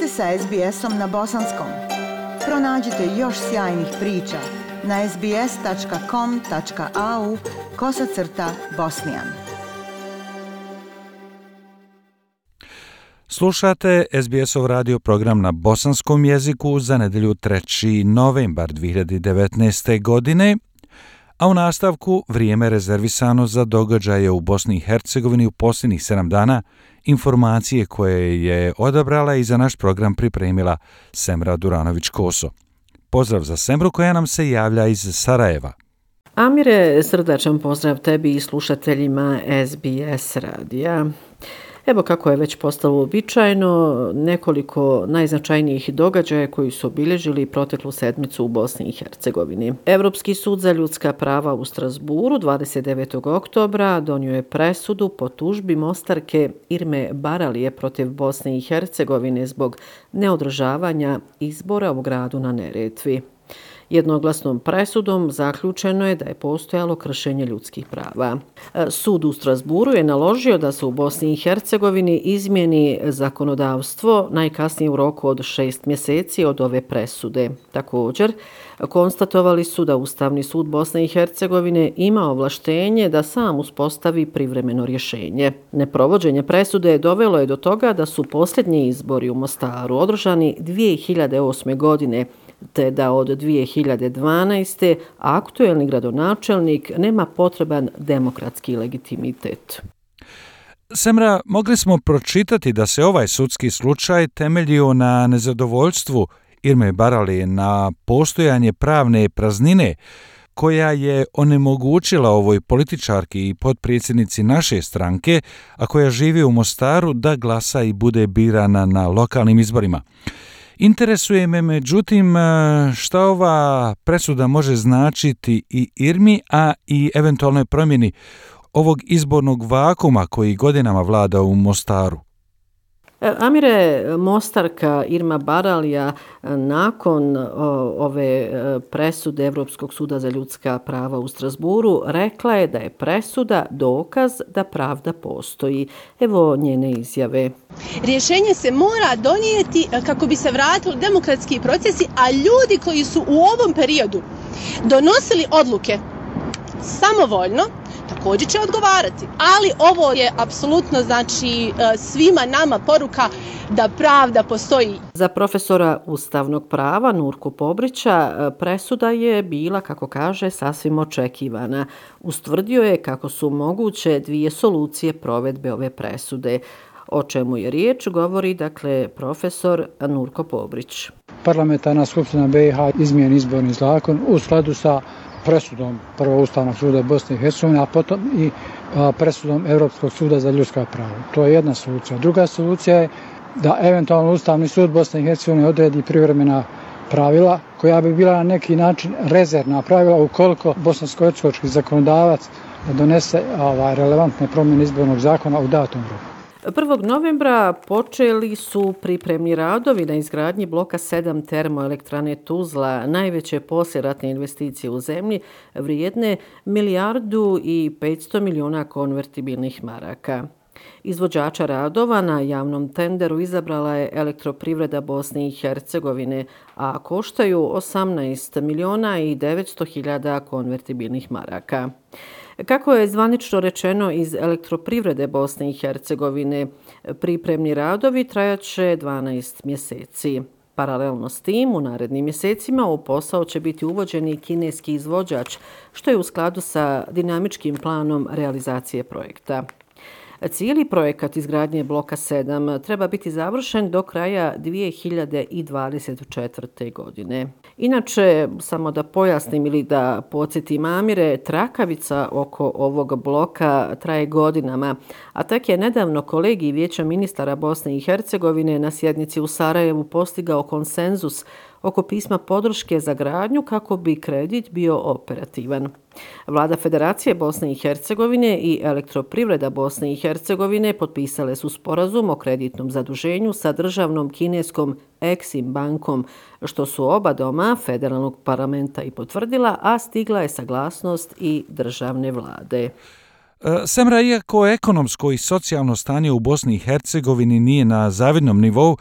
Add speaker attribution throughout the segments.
Speaker 1: ste sa SBS-om na bosanskom. Pronađite još sjajnih priča na sbs.com.au/bosnijan.
Speaker 2: Slušate SBS-ov radio program na bosanskom jeziku za nedjelju 3. novembar 2019. godine, a u nastavku vrijeme rezervisano za događaje u Bosni i Hercegovini u posljednjih 7 dana, informacije koje je odabrala i za naš program pripremila Semra Duranović-Koso. Pozdrav za Semru koja nam se javlja iz Sarajeva.
Speaker 3: Amire, srdačan pozdrav tebi i slušateljima SBS radija. Evo kako je već postalo uobičajeno, nekoliko najznačajnijih događaja koji su obilježili proteklu sedmicu u Bosni i Hercegovini. Europski sud za ljudska prava u Strasburu 29. oktobra donio je presudu po tužbi Mostarke Irme Baralije protiv Bosne i Hercegovine zbog neodržavanja izbora u gradu na Neretvi. Jednoglasnom presudom zaključeno je da je postojalo kršenje ljudskih prava. Sud u Strasburu je naložio da se u Bosni i Hercegovini izmijeni zakonodavstvo najkasnije u roku od 6 mjeseci od ove presude. Također, konstatovali su da Ustavni sud Bosne i Hercegovine ima ovlaštenje da sam uspostavi privremeno rješenje. Neprovođenje presude dovelo je do toga da su posljednji izbori u Mostaru održani 2008. godine, te da od 2012. aktuelni gradonačelnik nema potreban demokratski legitimitet.
Speaker 2: Semra, mogli smo pročitati da se ovaj sudski slučaj temeljio na nezadovoljstvu Irme Baralije na postojanje pravne praznine koja je onemogućila ovoj političarki i potpredsjednici naše stranke, a koja živi u Mostaru, da glasa i bude birana na lokalnim izborima. Interesuje me, međutim, šta ova presuda može značiti i Irmi, a i eventualnoj promjeni ovog izbornog vakuma koji godinama vlada u Mostaru.
Speaker 3: Amire, Mostarka Irma Baralija nakon ove presude Europskog suda za ljudska prava u Strasburu rekla je da je presuda dokaz da pravda postoji. Evo njene izjave.
Speaker 4: Rješenje se mora donijeti kako bi se vratili demokratski procesi, a ljudi koji su u ovom periodu donosili odluke samovoljno, također će odgovarati. Ali ovo je apsolutno, znači, svima nama poruka da pravda postoji.
Speaker 3: Za profesora ustavnog prava Nurku Pobrića presuda je bila, kako kaže, sasvim očekivana. Ustvrdio je kako su moguće dvije solucije provedbe ove presude. O čemu je riječ, govori dakle profesor Nurko Pobrić.
Speaker 5: Parlamentarna skupština BiH izmijeni izborni zakon u skladu sa presudom prvo Ustavnog suda Bosne i Hercegovine, a potom i presudom Europskog suda za ljudska prava. To je jedna solucija. Druga solucija je da eventualno Ustavni sud Bosne i Hercegovine odredi privremena pravila koja bi bila na neki način rezervna pravila ukoliko bosansko-hercegovački zakonodavac donese relevantne promjene izbornog zakona u datom roku.
Speaker 3: 1. novembra počeli su pripremni radovi na izgradnji bloka 7 termoelektrane Tuzla, najveće poslijeratne investicije u zemlji, vrijedne 1,5 milijardi konvertibilnih maraka. Izvođača radova na javnom tenderu izabrala je Elektroprivreda Bosne i Hercegovine, a koštaju 18.900.000 konvertibilnih maraka. Kako je zvanično rečeno iz Elektroprivrede Bosne i Hercegovine, pripremni radovi trajaće 12 mjeseci. Paralelno s tim, u narednim mjesecima u posao će biti uvođen i kineski izvođač, što je u skladu sa dinamičkim planom realizacije projekta. Cijeli projekat izgradnje bloka 7 treba biti završen do kraja 2024. godine. Inače, samo da pojasnim ili da podsjetim Amire, trakavica oko ovog bloka traje godinama, a tek je nedavno kolegij Vijeća ministara Bosne i Hercegovine na sjednici u Sarajevu postigao konsenzus oko pisma podrške za gradnju kako bi kredit bio operativan. Vlada Federacije Bosne i Hercegovine i Elektroprivreda Bosne i Hercegovine potpisale su sporazum o kreditnom zaduženju sa državnom kineskom Exim bankom, što su oba doma federalnog parlamenta i potvrdila, a stigla je saglasnost i državne vlade.
Speaker 2: Semra, iako ekonomsko i socijalno stanje u Bosni i Hercegovini nije na zavidnom nivou,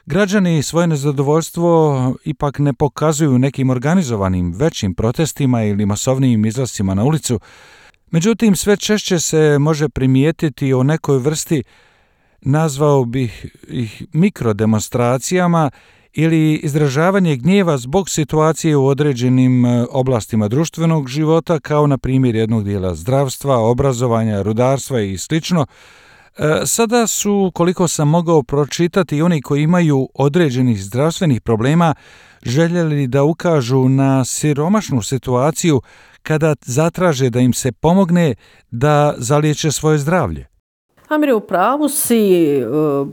Speaker 2: Građani svoje nezadovoljstvo ipak ne pokazuju nekim organizovanim većim protestima ili masovnijim izlascima na ulicu. Međutim, sve češće se može primijetiti o nekoj vrsti, nazvao bih ih mikrodemonstracijama ili izražavanje gnjeva zbog situacije u određenim oblastima društvenog života, kao na primjer jednog dijela zdravstva, obrazovanja, rudarstva i sl. Sada su, koliko sam mogao pročitati, oni koji imaju određenih zdravstvenih problema željeli da ukažu na siromašnu situaciju kada zatraže da im se pomogne da zaliječe svoje zdravlje.
Speaker 3: Amire, u pravu si,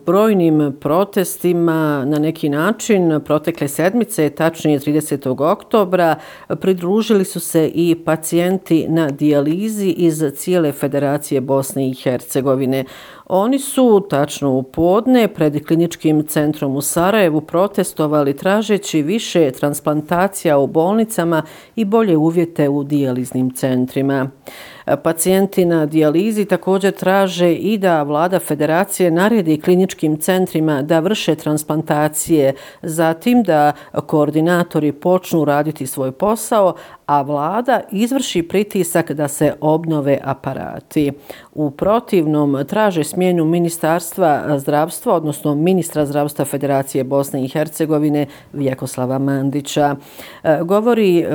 Speaker 3: brojnim protestima na neki način protekle sedmice, tačnije 30. oktobra, pridružili su se i pacijenti na dijalizi iz cijele Federacije Bosne i Hercegovine. Oni su tačno u podne pred kliničkim centrom u Sarajevu protestovali tražeći više transplantacija u bolnicama i bolje uvjete u dijaliznim centrima. Pacijenti na dijalizi također traže i da vlada federacije naredi kliničkim centrima da vrše transplantacije, zatim da koordinatori počnu raditi svoj posao, a vlada izvrši pritisak da se obnove aparati. U protivnom traže smjenu Ministarstva zdravstva, odnosno ministra zdravstva Federacije Bosne i Hercegovine Vjekoslava Mandića. Govori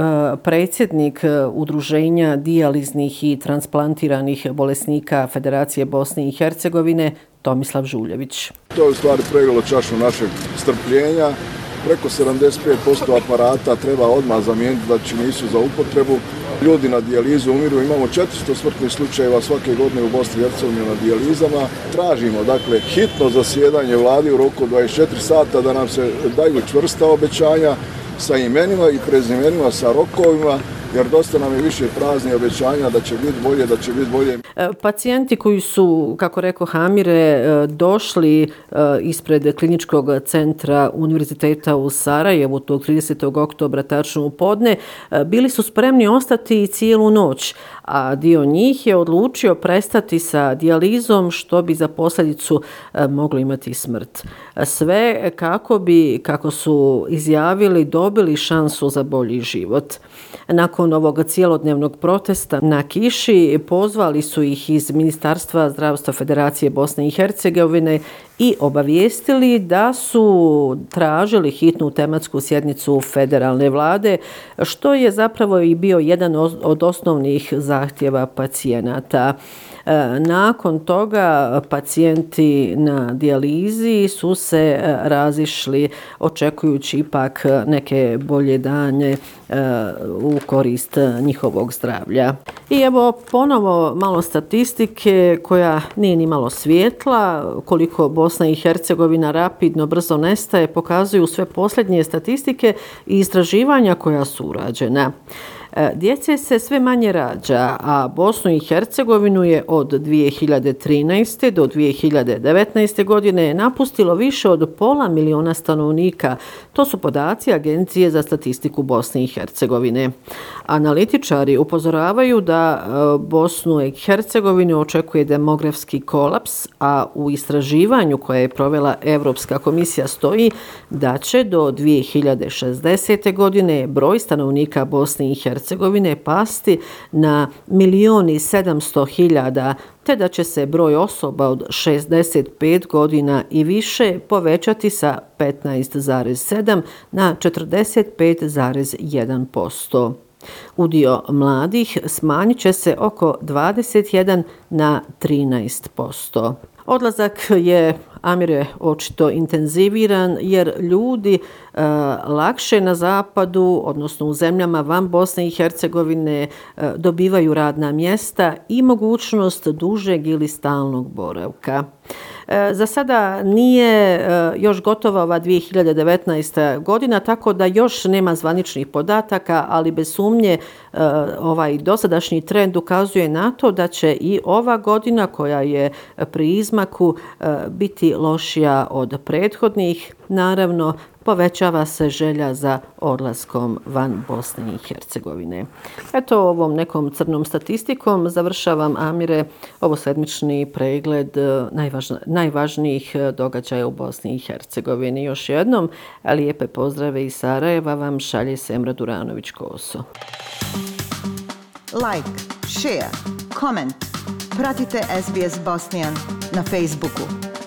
Speaker 3: predsjednik Udruženja dijaliznih i transplantiranih bolesnika Federacije Bosne i Hercegovine Tomislav Žuljević.
Speaker 6: To je u stvari pregalo čašu našeg strpljenja. Preko 75% aparata treba odmah zamijeniti, znači nisu za upotrebu. Ljudi na dijalizu umiru, imamo 400 smrtnih slučajeva svake godine u Bosni i Hercegovini na dijalizama. Tražimo dakle hitno zasjedanje vlade u roku 24 sata da nam se daju čvrsta obećanja sa imenima i prezimenima, sa rokovima, jer dosta nam je više praznih obećanja da će biti bolje, da će biti bolje.
Speaker 3: Pacijenti koji su, kako rekao Amire, došli ispred kliničkog centra Univerziteta u Sarajevu tog 30. oktobra tačno u podne, bili su spremni ostati cijelu noć, a dio njih je odlučio prestati sa dijalizom, što bi za posljedicu moglo imati smrt. Sve kako bi, kako su izjavili, dobili šansu za bolji život. Nakon ovog cijelodnevnog protesta na kiši pozvali su ih iz Ministarstva zdravstva Federacije Bosne i Hercegovine i obavijestili da su tražili hitnu tematsku sjednicu federalne vlade, što je zapravo i bio jedan od osnovnih zahtjeva pacijenata. Nakon toga pacijenti na dijalizi su se razišli očekujući ipak neke bolje dane u korist njihovog zdravlja. I evo ponovo malo statistike koja nije ni malo svijetla. Koliko Bosna i Hercegovina rapidno, brzo nestaje, pokazuju sve posljednje statistike i istraživanja koja su urađena. Djece se sve manje rađa, a Bosnu i Hercegovinu je od 2013. do 2019. godine napustilo više od 500.000 stanovnika. To su podaci Agencije za statistiku Bosne i Hercegovine. Analitičari upozoravaju da Bosnu i Hercegovinu očekuje demografski kolaps, a u istraživanju koje je provela Europska komisija stoji da će do 2060. godine broj stanovnika Bosne i Hercegovine pasti na 1.700.000, te da će se broj osoba od 65 godina i više povećati sa 15,7 na 45,1%. Udio mladih smanjit će se oko 21 na 13%. Odlazak je, Amire, očito intenziviran jer ljudi lakše na zapadu, odnosno u zemljama van Bosne i Hercegovine, dobivaju radna mjesta i mogućnost dužeg ili stalnog boravka. Za sada nije još gotova ova 2019. godina, tako da još nema zvaničnih podataka, ali bez sumnje ovaj dosadašnji trend ukazuje na to da će i ova godina koja je pri izmaku biti lošija od prethodnih. Naravno, povećava se želja za odlaskom van Bosne i Hercegovine. Eto, ovom nekom crnom statistikom završavam, Amire, ovo sedmični pregled najvažnijih događaja u Bosni i Hercegovini. Još jednom, lijepe pozdrave iz Sarajeva vam šalje Semra Duranović-Koso.
Speaker 1: Like, share, comment. Pratite SBS Bosnian na Facebooku.